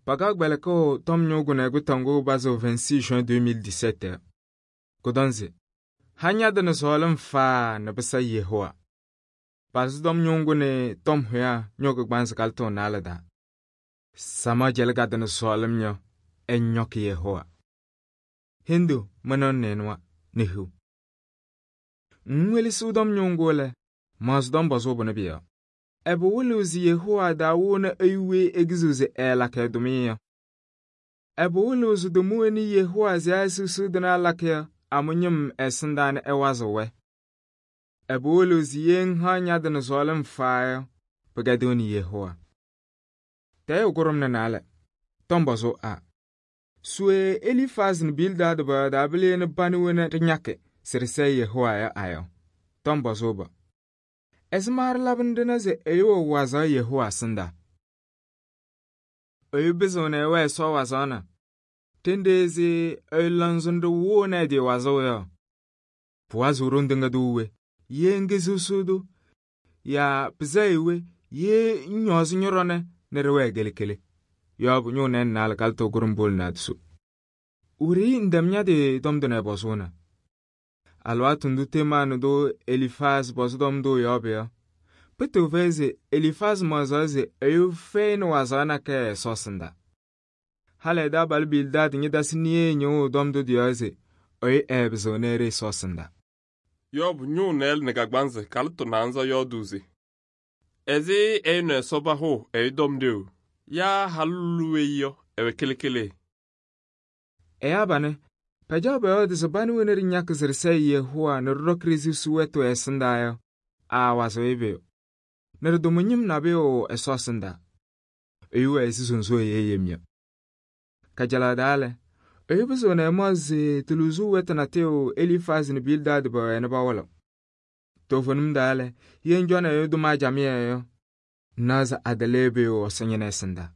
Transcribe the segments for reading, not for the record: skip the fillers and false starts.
Pakaɣ kpɛlɩkɩɣ tɔm ñʋʋ kʋnɛ kʋtɔŋgʋ bazɩɣ 26 juin 2017. Kʋtɔŋ se: ha ña-tɩ nɛ sɔɔlɩm faa nɛ pɩsa Yehowa. Palsɩ tɔm ñʋʋ kʋnɛ tɔm hʋyaa ñʋʋ kɩgbaanzɩ kalɩtʋ 4 daa. Samaɣ jɛlɛ ka-tɩ nɛ sɔɔlɩm yɔ, ɛñɔkɩ Yehowa. Hendu mɩnʋʋ nɩɩnʋwa nɛ hiu. Ŋwelesiɣ tɔm ñʋʋ ŋgʋ lɛ, maɣzɩ tɔm pɔzʋʋ pʋnɛ pʋ-yɔɔ. Ɛbɛ wɩlɩɣ se Yehowa daawoni ɛyʋ weyi ekiziɣ se ɛɛlakɩ ɛ-tʋmɩyɛ yɔ? Ɛbɛ wɩlɩɣ se tʋmʋwɛnɩ Yehowa se ɛsɩɣsɩɣ tɩnaa ɛlakɩ yɔ amʋ-ñɩm ɛsɩndaa nɛ ɛwazɩɣ-wɛ? Ɛbɛ wɩlɩɣ se ye ŋhaɣ ña-tɩ nɛ sɔɔlɩm faa yɔ, pɩkɛdɩɣnɩ Yehowa? Tɛɛyʋ kʋɖʋmnɩ 4. Tɔm pɔzʋʋ A. Swe Elifaaz nɛ Bildaad pɔyɔɔdaa pɩlɩ nɛ panɩ wena ɖɩñakɩ se ɖɩsɛɛ Yehowa yɔ a-yɔ? Tɔm pɔzʋʋ B. Ɛzɩma ɖɩlabɩ nɛ ɖɩna se ɛyʋ wɛ wazaɣ Yehowa ɛsɩndaa? Ɛyʋ pɩzɩɣnɩ ɛwɛɛ Ɛsɔ wazaɣ na? Ɖenɖe se ɛyʋ lɔŋsɩnɖʋ wʋʋnɩ ɛ-tɩ wazʋʋ yɔ? Pʋwazɩɣ ɖoŋ tɩŋa tʋ we? Ye ŋkesiɣsiɣ-tʋ yaa pɩsɛyɩ we ye ŋñɔɔzɩ ñɔ-ɖɔnɛ nɛ ɖɩwɛɛ kele-kele? Yɔɔbʋ ñʋʋ nɩɩ naalɛ kalɩtʋ kʋɖʋm pol naadoso. Wiɖiyi ŋtɛm ña-tɩ tɔm tʋ nɛ ɛpɔzʋʋna. Alɩwaatʋ ndʋ temaɣnɩ tʋ Elifaaz pɔzɩ tɔm tʋ yɔɔbʋ yɔ, pɩtɩɣ fɛyɩ se Elifaaz maɣzaɣ se ɛyʋ fɛyɩnɩ wazaɣ nakɛyɛ Ɛsɔ ɛsɩndaa. Halɩ ɛ-taabalʋ Bildaad ñɩtasɩ niye ñɩɣʋ tɔm tʋ tɩ-yɔɔ se ɛyʋ ɛɛpɩzɩɣnɩ ɛɖɩ Ɛsɔ ɛsɩndaa. Yɔɔbʋ ñʋʋ nɛɛlɩ nɛ kagbaanzɩ kalɩtʋ naanza yɔɔdʋʋ se: ɛzɩ ɛyʋ nɛ Ɛsɔ pahʋʋ ɛyʋ tɔm ɖeu? Yaa halʋlʋ weyi yɔ ɛwɛ kele-kele? Ɛyaa banɩ pɛjaɣ pɔyɔɔdɩ se panɩ wena ɖɩñakɩ se ɖɩsɛɛ Yehowa nɛ ɖɩɖɔkɩ ɖe-sisi wɛtʋ ɛsɩndaa yɔ, aawazɩɣ-ɩ pʋyʋ, nɛ ɖɩtʋmʋ ñɩm nabʋyʋ Ɛsɔ ɛsɩndaa. Ɛyʋ wɛ ɛzɩ sonso ɛyɛ yem yɔ. Kajalaɣ daa lɛ, ɛyʋ pɩzɩɣnɩ ɛmaɣzɩ se tɩ-lʋzʋʋ wɛtʋ natɩyʋ Elifaaz nɛ Bildaad pɛwɛɛ nɛ pawɩlɩɣ. Toovenim daa lɛ, ye ŋcɔnɩ ɛyʋ tʋma camɩyɛ yɔ, ŋnaɣ se adɩlɩ pʋyʋ Ɛsɔ ñɩna ɛsɩndaa.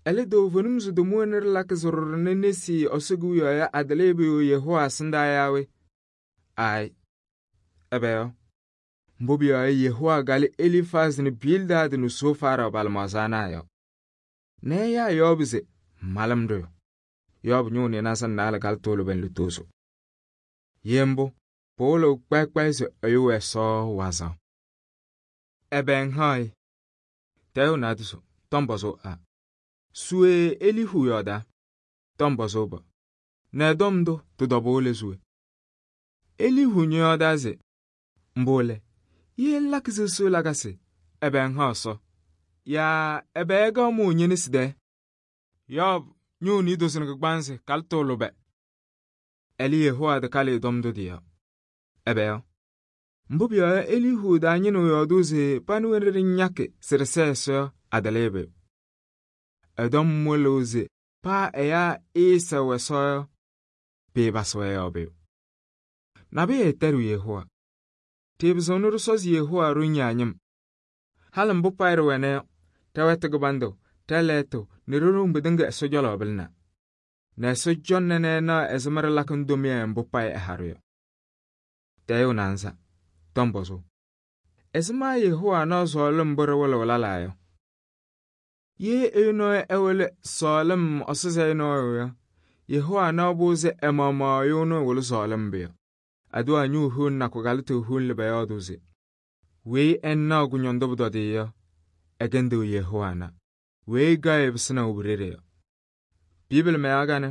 Ɛlɛ toovenim se tʋmʋwɛnɩ ɖɩlakɩ se ɖʋɖɔ nɛ nesi Ɛsɔ Kewiyaɣ yɔ adɩlɩ pʋyʋ Yehowa ɛsɩndaa yaa we? Aayɩ, ɛbɛ yɔ? Mbʋ pʋyɔɔ yɔ Yehowa galɩ Elifaaz nɛ Bildaad nɛ Sofaarɩ pa-lɩmaɣza ana yɔ. Nɛ ɛyaa Yɔɔbʋ se malɩm ɖʋyʋ. Yɔɔbʋ ñʋʋ nɩɩnaza naalɛ kalɩtʋ lʋbɛn lutozo. Ye mbʋ, pɩwɩlɩɣ kpɛyɩ se ɛyʋ wɛ Ɛsɔ wazaɣ. Ɛbɛ ŋhaɣ-ɩ? Tɛɛyʋ naadoso. Tɔm pɔzʋʋ A. Swe Elihu yɔɔdaa. Tɔm pɔzʋʋ B. Nɛ tɔm ndʋ tɩ-tɔbʋʋ le suwe. Elihu ñɔyɔɔdaa se: mbʋ lɛ, ye ŋlakɩ sɩɣsɩɣ lakasɩ, ɛbɛ ŋhaɣ Ɛsɔ? Yaa ɛbɛ ɛgaɣ mʋʋ ñe-nesi tɛɛ? Yɔɔbʋ ñʋʋ niidozo nɛ kɩgbaanzɩ kalɩtʋ lʋbɛ. Ɛlɛ Yehowa tɩkalɩ tɔm tʋ tɩ-yɔɔ. Ɛbɛ yɔ? Mbʋ pʋyɔɔ yɔ Elihu daa ñɩnɩɣ yɔɔdʋʋ se panɩ wena ɖɩñakɩ se ɖɩsɛɛ Ɛsɔ yɔ adɩlɩ pʋyʋ. Ɛtɔm wɩlɩɣ se paa ɛyaa ɩɩsɛɣ Ɛsɔ yɔ, pɩɩpasɩ-wɛ yɔɔ pʋyʋ. Nabʋyʋ ɛtɛɖɩɣ Yehowa. Tɩɩpɩzɩɣnɩ ɖɩsɔzɩ Yehowa ɖo ñaañɩm. Halɩ mbʋ payɩ ɖɩwɛna yɔ, tɛwɛtʋ kɩbandʋ, tɛlɛɛtʋ nɛ ɖo-ɖoŋ pɩtɩŋa Ɛsɔ cɔlɔ pɩlɩna. Nɛ Ɛsɔ cɔŋnɩ nɛ ɛnaɣ ɛzɩma ɖɩlakɩ ŋ-tʋmɩyɛ mbʋ payɩ ɛha-ɖʋ yɔ. Tɛɛyʋ naanza. Tɔm pɔzʋʋ. Ɛzɩma Yehowa naɣ sɔɔlɩm mbʋ ɖɩwɩlɩɣ lɛlaa yɔ? Ye ɛyʋ nɔɔyʋ ɛwɩlɩ sɔɔlɩm ɔsɩzɛyɩ nɔɔyʋ yɔ, Yehowa naɣ-bʋ se ɛmaɣmaɣ ɛyʋ ɛnʋ ɛwɩlɩ sɔɔlɩm pʋyɔ. Aduwa ñʋʋ hiu nakʋ kalɩtʋ hiu lɩ pɛyɔɔdʋ se weyi ɛnaɣ kʋñɔndʋ pʋtɔdɩyɛ yɔ, ɛkɛndɩɣ Yehowa na. Weyi gaɣ pɩsɩnaɣ bu-ɖeɖe yɔ. Bibili mɛyaɣ ganɛ,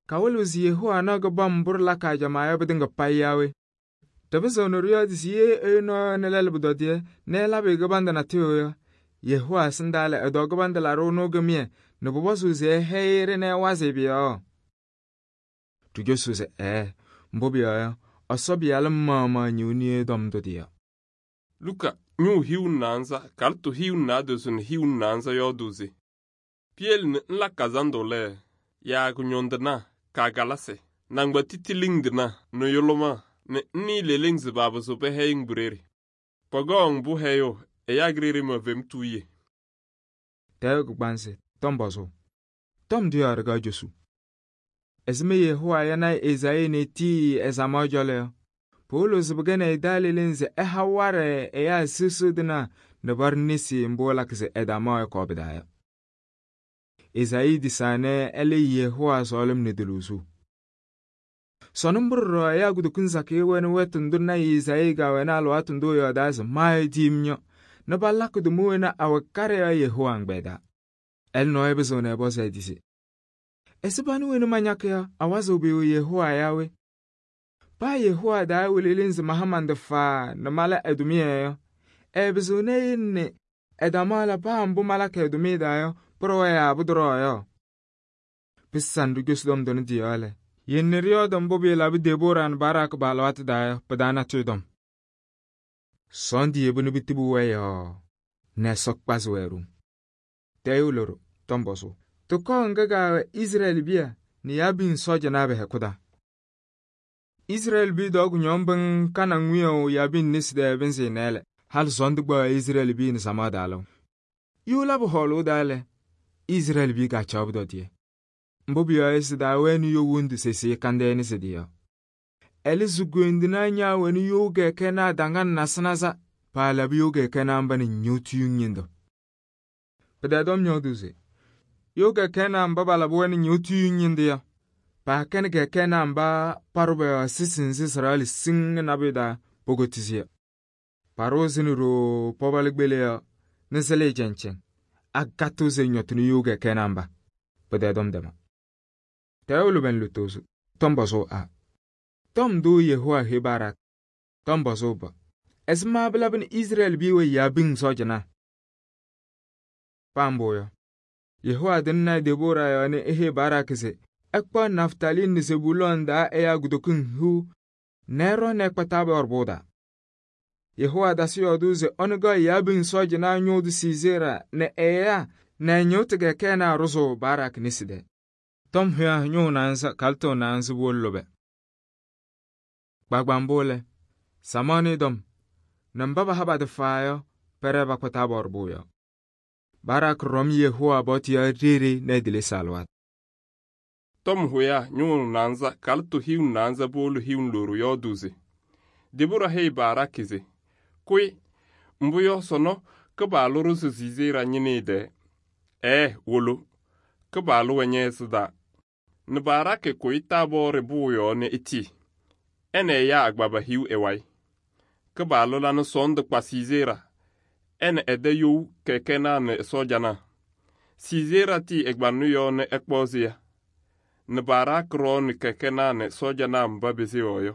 kawɩlɩɣ se Yehowa naɣ kɩbam mbʋ ɖɩlakɩ ajamaa yɔ pɩtɩŋa payɩ yaa we? Tɩpɩzɩɣnɩ ɖɩyɔɔdɩ se ye ɛyʋ nɔɔyʋ nɛ lɛlʋ pʋtɔdɩyɛ nɛ ɛlabɩ kɩbandʋ natɩyʋ yɔ, Yehowa ɛsɩndaa lɛ ɛdɔ kɩbandʋ laɖʋ ɛnʋ kɩmɩyɛ nɛ pʋpɔzɩɣ se ɛhɛyɩ-ɖɩ nɛ ɛwazɩ pʋ-yɔɔ? Tɩcosuu se ɛɛ, mbʋ pʋyɔɔ yɔ, Ɛsɔ Pɩyalʋ maɣmaɣ ñɩɣ niye tɔm tʋ tɩ-yɔɔ. Luka ñʋʋ hiu naanza kalɩtʋ hiu naadozo nɛ hiu naanza yɔɔdʋʋ se: piyele nɛ ŋla kazandʋ lɛ, yaa kʋñɔndɩnaa, kagalasɩ, nangba titiliŋdɩnaa nɛ yʋlʋmaa nɛ ŋnɩɩ leleŋ se baapɩzɩɣ pɛhɛyɩ-ŋ bu-ɖeɖe. Pɔgɔɔ mbʋ hɛyʋ ɛyaa kɩrɩɩrɩ ma fem tuuye. Tɛɛyʋ kɩgbaanzɩ. Tɔm pɔzʋʋ. Tɔm dɩyɔɔ ɖɩkaɣ josu. Ɛzɩma Yehowa yana Ezaayii nɛ etii ɛzamaɣ cɔlɔ yɔ? Pɩwɩlɩɣ se pɩkɛnɩ ɛ-taa leleŋ se ɛha warɛ ɛyaa sɩɣsɩɣ tɩnaa nɛ paɖʋ nesi mbʋ ɛlakɩ se ɛdamaɣ ɛkɔɔ pɩ-taa yɔ. Ezaayii disaane ɛlɛ Yehowa sɔɔlɩm nɛ dulusu. Sɔnɔ mbʋ ɖɔɖɔ ɛyaa kutokiŋ sakɩyɛ wɛnɩ wɛtʋ ndʋ lɔɔyaɣ tʋ Ezaayii kɛwɛnɩ alɩwaatʋ ndʋ ɛyɔɔdaa se maayɔɔdiyem yɔ nɛ palakɩ tʋma wena awɛ karɩ yɔ Yehowa ɛgbɛyɛ taa. Ɛlɛ nɔɔyʋ pɩzɩɣnɩ ɛpɔzɩ ɛ-tɩ se: ɛsɩ panɩ wena mañakɩ yɔ awazɩɣ pʋyʋ Yehowa yaa we? Paa Yehowa daa ɛwɩlɩ leleŋ se maha man-tɩ faa nɛ mala ɛ-tʋmɩyɛ yɔ, ɛɛpɩzɩɣnɩ eyele nɛ ɛdamaɣ la paa mbʋ malakɩ ɛ-tʋmɩyɛ taa yɔ pʋɖɔwa yaa pʋtɔɖɔwa yɔ. Pɩsɩnɩ ɖɩcosi tɔm tʋnɛ tɩ-yɔɔ lɛ, yele nɛ ɖɩyɔɔdɩ mbʋ pɩɩlabɩ Debora nɛ Barak pa-alɩwaatʋ taa yɔ, pɩ-taa natʋyʋ tɔm. Sɔɔndʋ yebi nɛ pɩtɩbɩ wɛ yɔɔ nɛ Ɛsɔ kpazɩ-wɛ ɖoŋ. Tɛɛyʋ loɖo tɔm pɔzʋ. Tɩkɔɔ ŋga kaawɛ Izrɛɛlɩ biya nɛ Yabin sɔɔjanaa pɛ-hɛkʋ taa. Izrɛɛlɩ biya dɔɔ kʋñɔŋ bɩŋ Kanaŋ wiyaʋ Yabin nesi tɛɛ pɩnzɩ nɛɛlɛ. Halɩ sɔɔndʋ kpaɣ Izrɛɛlɩ biya nɛ samaɣ daa lɛʋ. Yʋʋ labɩ hɔɔlʋʋ daa lɛ, Izrɛɛlɩ biya kaacaɣ pʋdɔdɩyɛ. Mbʋ pʋyɔɔ yɔ sɩ daa wɛnɩ yo wondu sesiye kandɛɛ nɛ sɩ-dɩ yɔ. Ɛlɛ si-goondinaa ñaawɛnɩ yo kɛkɛnaa daŋa nasɩ-nasa paalabɩ yo kɛkɛnaa mba nɛ ñɩɣtʋyʋŋ ñɩndʋ. Pɩ-tɛɛ tɔm yɔɔdʋʋ se yo kɛkɛnaa mba balabɩ-wɛ nɛ ñɩɣtʋyʋŋ ñɩndʋ yɔ, paakɛnɩ kɛkɛnaa mba parʋ bɛ-yɔɔ sɩsɩ nzɩ sɩraɣlɩ siŋ nɛ nabʋyʋ daa pokotisi yɔ. Parʋʋ zɩnɩ ɖoo pɔbɔlɩ kpele yɔ nɛ sɩlɩ cɛŋcɛŋ agatʋ se ñɔtɩnɩ yo kɛkɛnaa mba. Pɩ-tɛɛ tɔm dɛma. Tɛɛyʋ lʋbɛn lutozo tɔm pɔzʋʋ a. Tɔm dʋ Yehowa he Barak. Tɔm pɔzʋʋ b. Ɛzɩma pɩlabɩ nɛ Izrɛɛlɩ biya wɛ Yabin sɔɔjanaa? Paa mbʋ yɔ, Yehowa tɩŋnɩ Debora yɔɔ nɛ ehe Barak se ɛkpaɣ Naftali nɛ Zebulɔn daa ɛyaa kutokiŋ hiu nɛ ɛɖɔ nɛ ɛkpa Tabɔr pʋʋ taa. Yehowa tasɩ yɔɔdʋʋ se ɔnʋ gaɣ Yabin sɔɔjanaa ñʋʋ tʋ Sisera nɛ ɛyaa nɛ ɛñɩɣtɩ kɛkɛnaa rʋzʋ Barak nesi tɛɛ. Tɔm hɩyã ñʋʋ naanza kalɩtɩɣ naanzɩ wolo lʋbɛ. Kpaakpa mbʋ lɛ, samaɣ nɩ dɔm nɛ mba baha ba-tɩ faa yɔ pɛrɛ bakpa Tabɔr pʋʋ yɔ. Barak rɔm Yehowa bɔtɩ yɔ ɖeɖe nɛ ɛdɩlɩsɩ alɩwaatʋ. Tɔm hʋya ñʋʋ naanza kalɩtɩ hiu naanza boolu hiu loru yɔɔdʋʋ se Debora heyi Barak se kʋyɩ mbʋ yɔ sɔnɔ Kɩpaɣlʋ rʋzɩ Sisera ñɩnɩɩ dɛɛ. Wolo Kɩpaɣlʋ wɛ ñɛ-ɛsɩdaa. Nɛ Barak kʋyɩ Tabɔɔrɩ bʋʋ yɔɔ nɛ etii. Ɛnɛ ɛyaa agbaba hiu ɛ-wayɩ. Kɩpaɣlʋ la nɛ sɔɔndʋ kpa Sisera ɛnɛ ɛdɛ you kɛkɛnaa nɛ sɔɔjanaa. Sisera tii ɛgbanʋ yɔɔ nɛ ɛkpɔɔzɩya. Nɛ Barak rɔɔnɩ kɛkɛnaa nɛ sɔɔjanaa mba bezewɔɔ yɔ.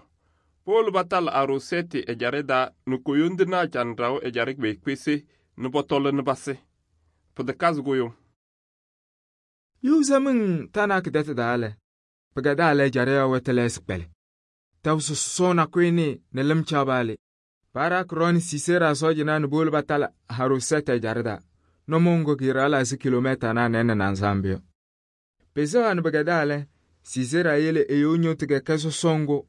Powolo batalɩ Arosɛtɩ ɛjarɩ daa nɛ koyondinaa canɖaɣʋ ɛjarɩ kpeekpese nɛ bɔtɔlɩ nɛ basɩ. Pɩtɩkazɩ kʋyʋŋ. Yʋʋzamiŋ Tanak dɛtɩ daa lɛ, pɩgɛdaa lɛ ɛjarɩ yɔ wɛtɛlɛɛsɩ kpɛlɩ. Tɛbʋ sɔsɔɔ nakʋyɩnɩ nɛ lɩm caabaalɩ. Barak rɔɔnɩ Sisera sɔɔjanaa nɛ powolo batalɩ Arosɛtɩ ɛjarɩ daa. Nɔmɔŋgɔ kɩɩraɣlɩ asɩ kilomɛtanaa nɛɛnɩ naŋsaambɩ yɔ. Pɩsɛwa nɛ pɩgɛdaa lɛ, Sisera yele eyo ñɩɣtɩ kɛkɛ sɔsɔŋgʋ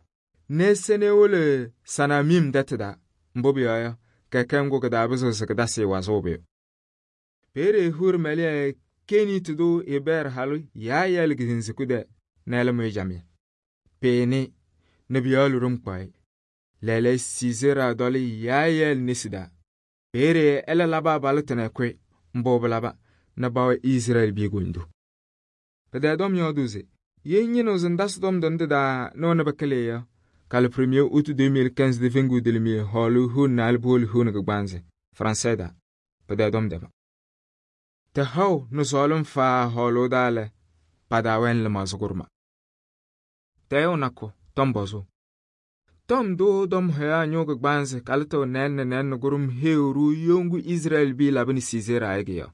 nɛ ɛsɛnɩ ewole Sanamim dɛtɩ daa. Mbʋ pʋyɔɔ yɔ, kɛkɛ ŋgʋ kɩ-taa pɩzɩɣ se kɩtasɩ wazʋʋ bɩyʋ. Peeye Hur mɛlɩya Kenitɩ dʋ Eber halʋ Yaayɛl kɩtɩŋsɩkʋ dɛ nɛ ɛlɛ mʋyɩ jamɩyɛ. Peene nɛ bɩ-yɔɔ lʋrʋm kpaɣɩ. Lɛɛlɛɛyɔ Sisera dɔlɩ Yaayɛl nesi daa. Peeye ɛlɛ labɩ abalɩtɩ nɛ ɛkʋyɩ. Mbʋ bɩlaba nɛ ba wɛ Izrɛɛlɩ biya gondu. Pɩtɛɛ tɔm yɔɔdʋʋ se yɛ ñɩnɩɣ sɩ ndasɩ tɔm tʋnɛ tɩ-taa nɛ wɛnɩ bɩkɩlɩ yɔ kalɩ 1er août 2015 dɩ feŋgu dɩlɩmɩyɛ hɔɔlʋ hiu naalɩ boolu hiu nɩ kɩgbansɩ Fransɛ daa. Pɩtɛɛ tɔm dɛma. Tɩ haʋ nɩ sɔɔlɩm faa hɔɔlʋʋ daa lɛ, pa-daa wɛnɩ lɩmaɣzɩ kʋrʋma. Tɛɛyʋ nakʋ tɔm pɔzʋʋ. Tɔm dʋ dɔm hʋya ñʋʋ kɩgbansɩ kalɩtɩɣ nɛɛnɩ kʋrʋm heeru yongu Izrɛɛlɩ biya labɩnɩ Sisera ayɩ yɔ.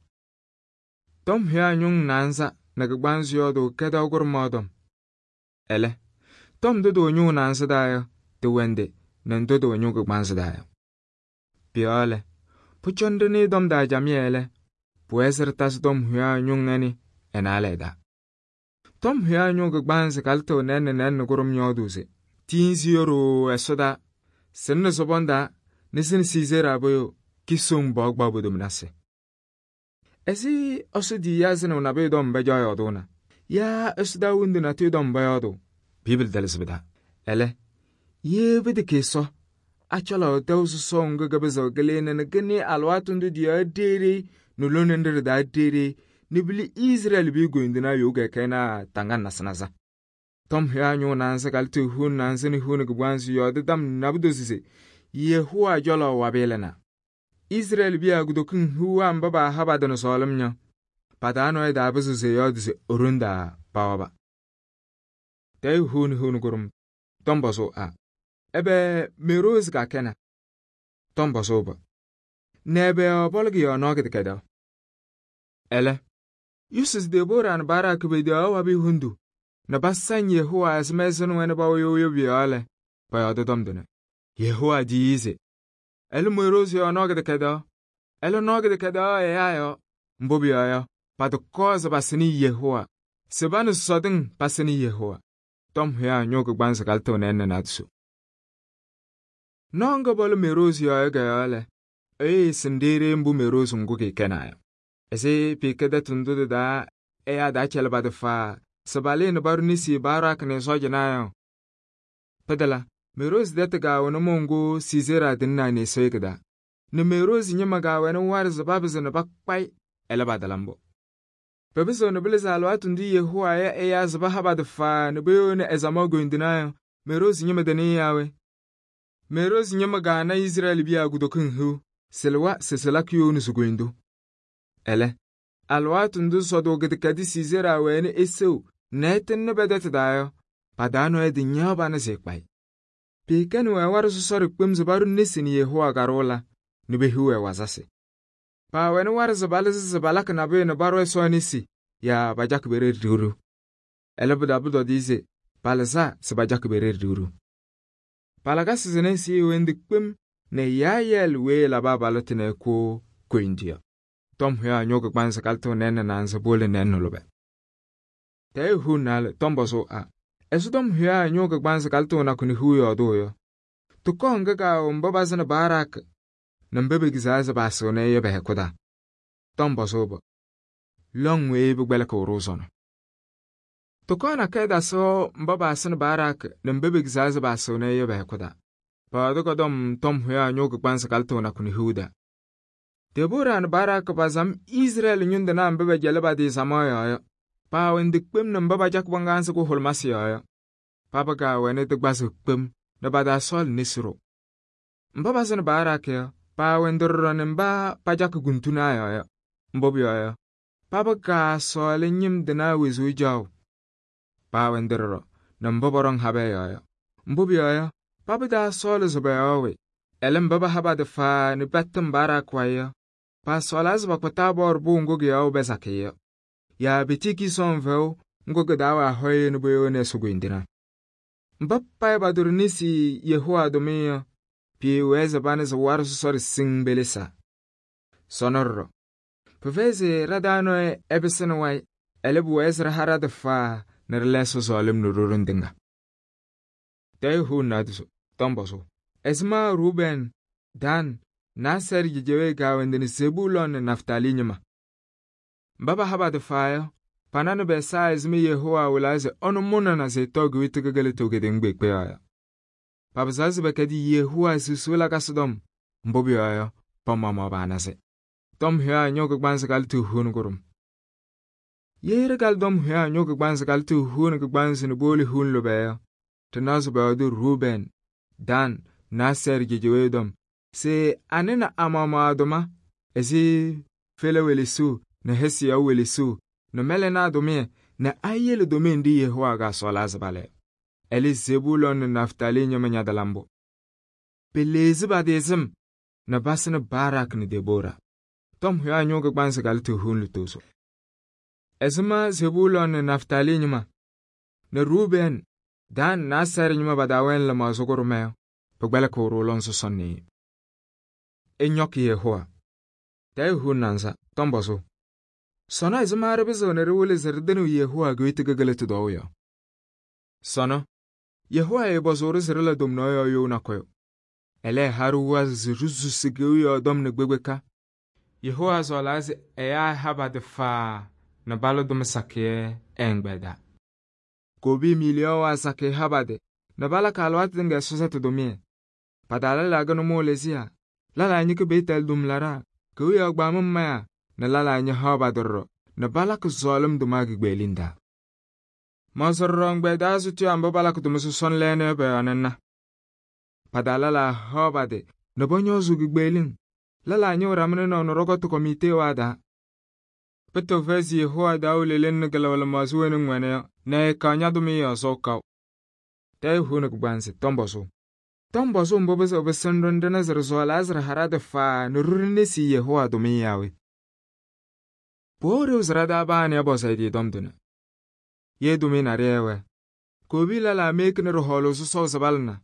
Tɔm hʋya ñʋŋ naanza nɛ kɩgbansɩ yɔɔdʋ kɛdɛw kʋrʋmaɣ dɔm. Ɛlɛ, tɔm dʋ dʋ ñʋʋ naanza daa yɔ, tɩ wɛndɩ nɛ ndʋ dʋ ñʋʋ kɩgbansɩ daa yɔ. Pʋ-yɔɔ lɛ, pʋcɔndɩnɩ dɔm daa jamɩyɛ lɛ, pʋwɛɛ sɩ ɖɩtasɩ tɔm hʋya ñʋŋ ɛnɩ ɛnaalɛ daa. Tɔm hʋya ñʋʋ kɩgbansɩ kalɩtɩɣ nɛɛnɩ kʋrʋm yɔɔdʋʋ se tiinsi yoroo ɛsɔdaa sɩnɩ sɔbɔndaa nɛ sɩnɩ Sisera bʋyʋ kisoŋ bɔɔgbaɣ bodominasɩ. Ɛsɩ Ɛsɔ di yaa zɩnɩɣ nabɩyʋ dɔm bɛ jɔɔ yɔɔdʋʋna yaa Ɛsɔ daa wundi natʋyʋ dɔm bɛ yɔɔdʋ. Bibili dɛlɩsɩ bɩ daa. Ɛlɛ, yee bɩdɩ kɩɩsɔ acɔlɔ tɛw sɔsɔɔ ŋgɩ gɩbɩzɩɣ gɩlɩɩnɩ nɛ gɩnɩ alɩwaatʋ ndʋ dɩ yaa deere nʋ lone nɖɩ ɖɩ daa deere ni bili Israel bi goyindina yoga kena tangan nasnaza. Tom hya ñʋʋ naanza kaltɩ hun naanza ni hun kɩgbaanzɩ yɔɔdɩ dam nabɩdozi se Yehowa cɔlɔ wabɩɩlɩna. Israel biya kutokiŋ hiu mba paaha-ba nɛ sɔɔlɩm yɔ, pa-taa nɔɔyʋ taapɩzɩɣ se ɛyɔɔdɩ se e-ɖoŋ taa pawaba. Tɛɛyʋ hun kʋrʋm Tom pɔzʋʋ a: ɛbɛ me-rozi kakɛna? Tom pɔzʋʋ-ba: nɛ ɛbɛ yɔɔ pɔlɔ kʋ-yɔɔ nɔɔ kɩdɛkɛdɛɛ? Ɛlɛ, Yusuf Debora nɛ Barak pedeɣaɣ wabɩ hundu nɛ pasaŋ Yehowa ɛzɩma ɛsɩnɩ wɛnɩ pɛwɛ yoyo pʋ-yɔɔ lɛ, pɔyɔɔdɩ tɔm tʋnɛ. Yehowa tiyi se: ɛlɛ me-rozi yɔɔ nɔɔ kɩdɛkɛdɛɛ, ɛlɛ nɔɔ kɩdɛkɛdɛɛ ɛyaa yɔɔ. Mbʋ pʋyɔɔ yɔ, patʋkɔɔ se pasɩnɩ Yehowa, se pa nɛ sɔsɔdɩŋ pasɩnɩ Yehowa. Tom hya ñʋʋ kɩgbaanzɩ kaltɩ nɛɛnɛ naadoso. Nɔɔ ŋga bɔlɔ me-rozi yɔɔ ga-yɔɔ lɛ, ɛyɩ sɩndeere mbʋ me-rozi ŋgʋ kɩɩkɛnaa yɔ. Ɛsɩ pɩɩkɛ tɛtʋ ndʋ tɩ-taa ɛyaa daa cɛlɩ pa-tɩ faa se palɩɩ nɛ paɖʋ nesi Barak nɛ ɛ-sɔɔjɩnaa yɔ. Pɩdala, me-rozi tɛtʋ gaawɛ nʋmɔʋ ŋgʋ Sisera tɩnɩnaa neesɔyɩ kɩ-taa, nɛ me-rozi ñɩma gaawɛnɩ warɩ se papɩzɩ nɛ pakpa-ɩ, ɛlɛ patala mbʋ. Pɛpɩsɩɣ nɛ pɩlɩ se alɩwaatʋ ndʋ Yehowa ya ɛyaa se paha pa-tɩ faa nɛ peyoni ɛzaɣʋ goyindinaa yɔ, me-rozi ñɩma tɩnɩɩ yaa we? Me-rozi ñɩma gaana Israel biya kutokiŋ hiu, sɩlɩwa se sɩla kɩ-yooni si-goyindu. Ɛlɛ, alɩwaatʋ ndʋ sɔdʋʋ kɩdɛkɛdɩ Sisera wɛnɩ esew nɛ ɛtɩŋnɩ bɛ tɛtʋ taa yɔ, pa-taa nɔɔyʋ tɩ-ñaɣ pa nɛ se ɛkpa-ɩ. Pɩɩkɛnɩ-wɛ warɩ sɔsɔrɩ kpem se paɖʋ nesi nɛ Yehowa kaɖʋʋ la nɛ pehiɣ-wɛ wazasɩ. Paawɛnɩ warɩ se palɩzɩ se palakɩ nabʋyʋ nɛ paɖʋ Ɛsɔ nesi yaa pajakɩ pe-ɖeɖe ɖiɣru. Ɛlɛ pʋ-daa pʋtɔdɩyɛ se palɩza se pajakɩ pe-ɖeɖe ɖiɣru. Palakasɩ sɩnɛ sɩ wɛndɩ kpem nɛ yaayɛɛlɩ weyi labɩ abalɩtɩ nɛ ɛkʋ koyindu yɔ. Tom hya ñʋʋ kɩgbaanzɩ kaltɩ nɛɛnɛ naanza powolo nɛɛnɛ lʋbɛ. Tɛɛyʋ hun naalɛ Tom pɔzʋʋ a: ɛsɔ Tom hya ñʋʋ kɩgbaanzɩ kaltɩ nakʋ nɛ hiu yɔɔdʋʋ yɔ? Tʋkɔɔ ŋga gaawɛ mba bazɩnɩ Barak nɛ mba begizaa se paasɩɣnɩ yɔ bɛ-hɛkʋ taa. Tom pɔzʋʋ-ba: lɔŋ weyi pɩkpɛlɩkɩɣ-ɖʋ sɔnɔ. Tʋkɔɔ nakɛyɛ dasɩ mba paasɩnɩ Barak nɛ mba begizaa se paasɩɣnɩ yɔ bɛ-hɛkʋ taa. Pawɛɛdɩ kɔdɔm Tom hya ñʋʋ kɩgbaanzɩ kaltɩ nakʋ nɛ hiu daa. Debora nɛ Barak pazam Israɛl ñʋndɩnaa mba pɛjɛlɩ pa-tɩ samaɣ yɔɔ yɔ, paawɛndɩ kpem nɛ mba pajakɩ bãngaasɩ kʋhʋlʋmasɩ yɔɔ yɔ. Paba gaawɛnɩ tɩ-gbazɩ kpem nɛ pa-taa sɔɔlɩ nesi ɖʋ. Mba bazɩnɩ Barak yɔ, paawɛndɩ ɖɔɖɔ nɛ mba pajakɩ guntunaa yɔɔ yɔ. Mbʋ pʋyɔɔ yɔ, paba gaasɔɔlɩ ñɩmdɩnaa wezuu jaɣʋ. Paawɛndɩ ɖɔɖɔ nɛ mba pɔɖɔŋ habɛ yɔɔ yɔ. Mbʋ pʋyɔɔ yɔ, paba taa sɔɔlɩ se pɔyɔɔ we. Ɛlɛ mba paha pa-tɩ faa nɛ patɩm Barak wayɩ yɔ, paasɔɔlaa se pakpa Taabɔr pʋʋ ŋgʋ kɩ-yɔɔ bɛ sakɩ yɔ, yaa petiki sɔŋ fɛʋ ŋgʋ kɩ-taa wɛ ahɔyɛ nɛ poyooni Ɛsɔ goyindinaa. Mba payɩ paɖʋ nesi Yehowa tʋmɩyɛ yɔ, pɩɩwɛɛ se pa nɛ se warɩ sɔsɔrɩ siŋ belesa. Sɔnɔ ɖɔɖɔ, pɩfɛyɩ se ɖa-taa nɔɔyʋ ɛpɩsɩnɩ wayɩ, ɛlɛ pʋwɛɛ se ɖa-ha ɖa-tɩ faa nɛ ɖɩla Ɛsɔ sɔɔlɩm nɛ ɖo-ɖoŋ tɩŋa. Tɛɛyʋ hun naadoso Tom pɔzʋʋ: ɛzɩma Rubɛn, Dan, Nasɛr jejewee gaawɛndɩ nɛ Zebulɔn nɛ Naftali ñɩma? Mba paha pa-tɩ faa yɔ, pananɩ bɛsaa ɛzɩma Yehowa wɩlaa se ɔnʋ mʋnana se ɛtɔɔ kɩwɩtɩ kɩkɩlɩtʋ kɩtɩŋ kpeekpe yɔ. Papɩzaɣ se pɛkɛdɩ Yehowa susuu lakasɩ tɔm, mbʋ pʋyɔɔ yɔ, pa-maɣmaɣ paanasɩ. Tom hya ñʋʋ kɩgbaanzɩ kaltɩ hun kʋrʋm. Yee ɖɩkalɩ Tom hya ñʋʋ kɩgbaanzɩ kaltɩ hun kɩgbaanzɩ nɛ powolo hun lʋbɛ yɔ, tɩnaɣ se pɔyɔɔdɩ Rubɛn, Dan, Nasɛr jejewee dɔm, se anɩna amaɣmaɣ tʋma ɛzɩ Fela welesuu nɛ Hesiyaw welesuu nɛ Mɛlɛnaa tʋmɩyɛ nɛ ayele tʋmɩyɛ nɖɩ Yehowa gaasɔɔlaa se palɛ. Ɛlɛ Zebulɔn nɛ Naftali ñɩma ñadala mbʋ. Peleezi pa-tɩ sɩm nɛ pasɩnɩ Barak nɛ Debora. Tom hya ñʋʋ kɩgbaanzɩ kaltɩ hun lutozo. Ɛzɩma Zebulɔn nɛ Naftali ñɩma nɛ Rubɛn, Dan, Nasɛr ñɩma pa-taa wɛnɩ lɩmaɣza kʋrʋmɛ yɔ, pɩkpɛlɩkɩɣ-ɖʋ lɔŋ sɔsɔnɩ. Ɛnyɔkɩ Yehowa. Tɛɛyʋ hun naanza Tom pɔzʋʋ: sɔnɔ ɛzɩma ɖɩpɩzɩɣ nɛ ɖɩwɩlɩ se ɖɩtɩnɩ Yehowa kɩwɩtɩ kɩkɩlɩtʋ dɔɔ yɔ? Sɔnɔ, Yehowa yɩpɔzʋʋ-ɖɩ se ɖɩla tomnaɣ yɔɔ you nakʋyʋ. Ɛlɛ ɛha-ɖɩ wazɩ se ɖɩsusi kewiyaɣ dɔm nɛ gbekpeka. Yehowa sɔɔlaa se ɛyaa ɛha pa-tɩ faa nɛ balʋ tʋmɩ sakɩyɛ ɛɛŋgbɛda. Kobi miliyon waa sakɩ ha pa-tɩ nɛ balakɩ alɩwaatʋ tɩŋa ɛsɔsɛtɩ tʋmɩyɛ. Pa-taa lala gɩnɩ mʋʋ lɩzɩya, lala nyɩkɩ Betel tʋmlaɖaa, kewiyaɣ gbaamʋ maya nɛ lala nyɩ haɣ pa-tɩ ɖɔɖɔ nɛ balakɩ zɔɔlɩm tʋma kikpeɣlin taa. Mɔɔsɩ ɖɔɖɔ ɛgbɛyɛ sʋtʋyaa mba balakɩ tʋma sɔsɔna lɛɛna yɔ pɔ-yɔɔ nɛ ŋna. Pa-taa lɛlaa haɣ pa-tɩ nɛ pɔñɔɔzʋʋ kikpeɣlin. Lɛlaa ñɩɣ ɖama nɩnaʋ nɛ ɖɔkɔtʋ komitee taa. Pʋtʋ fɛyɩ se Yehowa daawʋ leleŋ nɛ kɩlaʋ lɩmaɣza wena ŋwɛna yɔ nɛ ɛɛkaɣ ña-tʋmɩyɛ yɔɔ kaʋ. Tɛɛyɛ huuni kɩgbaanzɩ tɔm pɔzʋʋ. Tɔm pɔzʋʋ mbʋ pɩzɩɣ pɩsɩnɩ-ɖʋ ɖɩna se ɖɩsɔɔlaa se ɖɩha ɖa-tɩ faa nɛ ɖo ɖe-nesi Yehowa tʋmɩyɛ yaa we? Pʋwɛɛ ɖeu se ɖa-taa baa nɛ ɛpɔzɩ ɛ-tɩ tɔm tʋnɛ. Ye tʋmɩyɛ naɖɩyɛ ɛwɛ, kowobi lɛlaa mekini ɖɩhɔɔlʋʋ sɔsɔʋ se palɩna.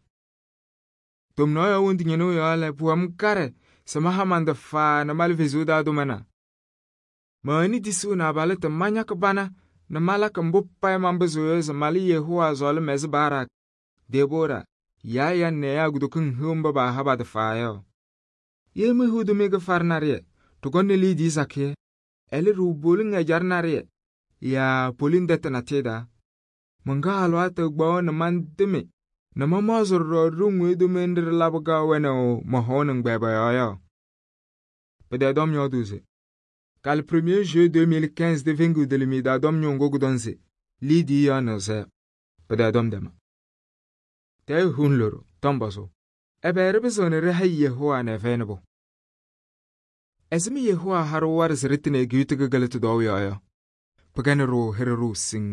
Tomnaɣ yɔɔ wondu ñɩnʋ yɔɔ lɛ, pʋwɛ-m kaɖɛ se maha man-tɩ faa nɛ malɩ Kalɩzaɣ taa tʋmana. Mɛwɛnɩ tisuu nɛ abalɩtɩ mañakɩ bana nɛ malakɩ mbʋ payɩ manpɩzɩɣ yɔ se malɩ Yehowa sɔɔlɩm ɛzɩ Barak, Deboora, Yaayan nɛ ɛyaa kutokiŋ hiu mba paaha pa-tɩ faa yɔ. Ye mehiu tʋmɩyɛ kɩfarɩ naɖɩyɛ, ɖɩkɔnɩ liidiye sakɩyɛ, ɛlɛ ɖɩwɛ poliŋ ɛjaɖɛ naɖɩyɛ yaa poliŋ tɛtʋ natɩyɛ taa. Mɩŋgaɣ alɩwaatʋ kpaɣʋ nɛ mantɩmɩ nɛ mamaɣzɩ ɖɔɖɔ ɖoŋ weyi tʋmɩyɛ nɖɩ ɖɩlabɩ kaɣ wɛnaʋ mɔ-hɔʋ nɩŋgbɛɛ pɔ-yɔɔ yɔ. Pɩtɛɛ tɔm yɔɔdʋʋ se kalɩ 1er juillet 2015 tɩ feŋiɣ tɩlɩmɩyɛ taa tɔm ñʋʋ ŋgʋ kʋtɔŋ se liidiye yɔɔ nɩɣzɛyɔ. Pɩtɛɛ tɔm tɛma. Tɛɛyɛ huun loɖo tɔm pɔzʋʋ. Ɛbɛ ɖɩpɩzɩɣnɩ ɖɩha-y Yehowa nɛ ɛfɛyɩnɩ pʋ? Ɛzɩma Yehowa ha-ɖʋ waɖɛ se ɖɩtɩnɩ Ejiptɩ kɩkɩlɩtʋ tɔɔʋ yɔɔ yɔ? Pɩkɛnɩ-ɖʋ hɩɖɛ ɖʋʋ siŋŋ.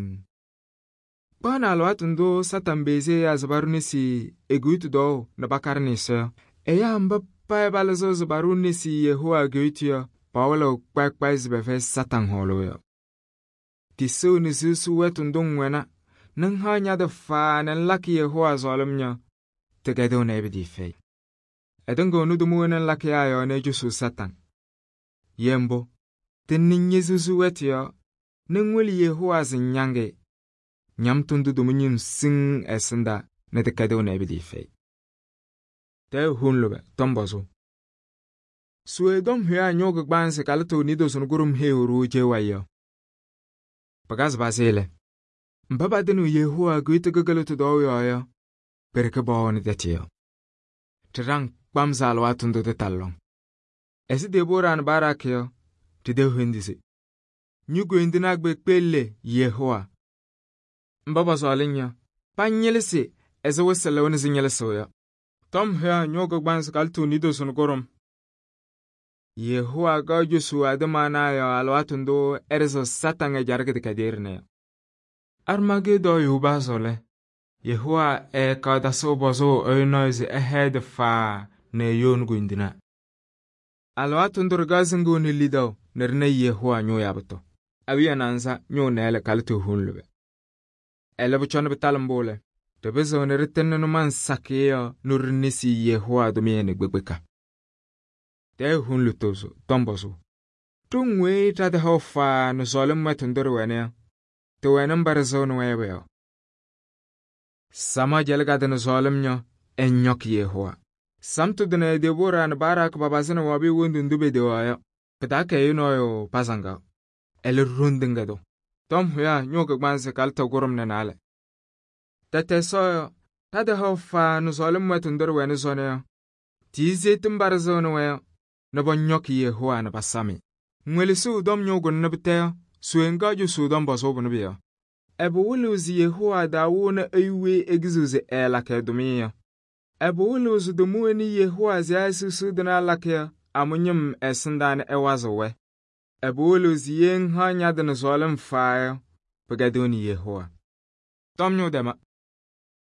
Kpaɣnɩ alɩwaatʋ ndʋ Satanɩ beɣzi ɛyaa se paɖʋ nesi Ejiptɩ tɔɔʋ nɛ pakaɖɩ Ɛsɔ yɔ. Ɛyaa mba payɩ palɩzɩɣ se paɖʋ nesi Yehowa Ejiptɩ yɔ, pawɩlɩɣ kpayɩ se pɛfɛyɩ Satanɩ hɔɔlʋʋ yɔ. Tisɩɣ nɛ suusuu wɛtʋ ndʋ ŋwɛna nɛ ŋhaɣ ña-tɩ faa nɛ ŋlakɩ Yehowa sɔɔlɩm yɔ, tɩkɛdɩɣnɩ ɛbɛdɩ fɛyɩ. Ɛtɩŋɩɣnɩ tʋma wena ŋlakɩ yaa yɔɔ nɛ ɛcosuu Satanɩ. Ye mbʋ, tɩnɩ ñe-suusuu wɛtʋ yɔ nɛ ŋwolo Yehowa se ŋññaŋɩ. Ñamtʋ ndʋ tʋma ñɩm siŋ ɛsɩndaa nɛ tɩkɛdɩɣnɩ ɛbɛdɩ fɛyɩ. Tɛɛyɛ huun lʋbɛ tɔm pɔzʋʋ. Suwe tɔm hʋyaa ñʋʋ kɩgbaanzɩ kalɩtʋ nidosɩnɩ kʋɖʋm heewu-ɖʋ cewayɩ yɔ. Pɩkazɩ pazɩ lɛ, mba patɩnɩɣ Yehowa Ejiptɩ kɩkɩlɩtʋ tɔɔʋ yɔɔ yɔ, pɛrɩkɩ pɔwɔɔnɩ tɛtʋ yɔ. Tɩɖaŋ kpamsɩ alɩwaatʋ ndʋ tɩtalɩ lɔŋ. Ɛzɩ Deboora nɛ Barak yɔ, tɩdɛɛ hendi se ñu-koyindinaa kpeekpe Yehowa. Mba pɔsɔɔlɩ yɔ, pañɩlɩsɩ ɛzɩ wɩsɩ lɩɣnɩ sɩ ñɩlɩsɩɣ yɔ. Tɔm hʋyaa ñʋʋ kɩgbaanzɩ kalɩtʋ nidosɩnɩ kʋɖʋm. Yehowa kaɣ cosuu adɩmaanaa yɔɔ alɩwaatʋ ndʋ ɛɖɩzɩɣ Satanɩ ɛjaɖɛ kɩdɛkɛdɩyɛ ɖɩnɛ yɔ. Armageedɔɔ yohubaasɩɣ lɛ, Yehowa ɛɛkaɣ tasɩɣ pɔzʋʋ ɛyʋ nɔɔyʋ se ɛhɛɛ-dɩ faa nɛ ɛyooni koyindinaa. Alɩwaatʋ ndʋ ɖɩkaɣ sɩŋɩɣnɩ lidaʋ nɛ ɖɩna Yehowa ñʋʋ yabʋtɔ. Awiya naanza ñʋʋ nɛɛlɛ kalɩtʋ huun lʋbɛ. Ɛlɛ pʋcɔ nɛ pɩtalɩ mbʋ lɛ, ɖɩpɩzɩɣnɩ ɖɩtɩnɩ nʋmɔŋ sakɩyɛ yɔ nʋ ɖɩnesi Yehowa tʋmɩyɛ nɛ kpekpeka. Tɛɛyɛ huun lʋtʋʋzʋ tɔm pɔzʋʋ. Ɖoŋ weyi ɖatɩhaʋ faa nɛ sɔɔlɩm wɛtʋ ndʋ ɖɩwɛna yɔ, tɩwɛnɩ mba ɖɩzɩɣnɩ-wɛ yɔ bʋ-yɔɔ. Sama jɛlɩ ka-tɩ nɛ sɔɔlɩm yɔ, ɛñɔkɩ Yehowa. Samtʋ tʋnɛ Deboora nɛ Barak papazɩnɩ wabɩyɛ wondu ndʋ pedewa yɔ, pɩtaakɛ ɛyʋ nɔɔyʋ pazaŋgaɣ. Ɛlɛ ɖoŋ tɩŋa tʋ. Tɔm hʋyaa ñʋʋ kɩgbaanzɩ kalɩtʋ kʋɖʋm nɛ naalɛ. Tɛtɛ Ɛsɔ yɔ, ɖatɩhaʋ faa nɛ sɔɔlɩm wɛtʋ ndʋ ɖɩwɛnɩ sɔnɔ yɔ, tiyizeetɩ mba ɖɩzɩɣnɩ-wɛ yɔ, nɛ pɔñɔkɩ Yehowa nɛ pasamɩ. Ŋwelesiɣ tɔm ñʋʋ kʋnɩ nɛ pɩtɛ yɔ, suwe ŋga cosuu tɔm pɔzʋʋ bʋnɩ bɩ yɔ. Ɛbɛ wɩlɩɣ se Yehowa daa wʋʋnɩ ɛyʋ weyi ekiziɣ se ɛɛlakɩ ɛ-tʋmɩyɛ yɔ? Ɛbɛ wɩlɩɣ se tʋma wena Yehowa se ɛyasuusuu tɩ nɛ alakɩ yɔ, amʋ ñɩm ɛsɩndaa nɛ ɛwazɩɣ-wɛ? Ɛbɛ wɩlɩɣ se ye ŋhaɣ ña-tɩ nɛ sɔɔlɩm faa yɔ, pɩkɛdɩɣnɩ Yehowa. Tɔm ñʋʋ dɛma.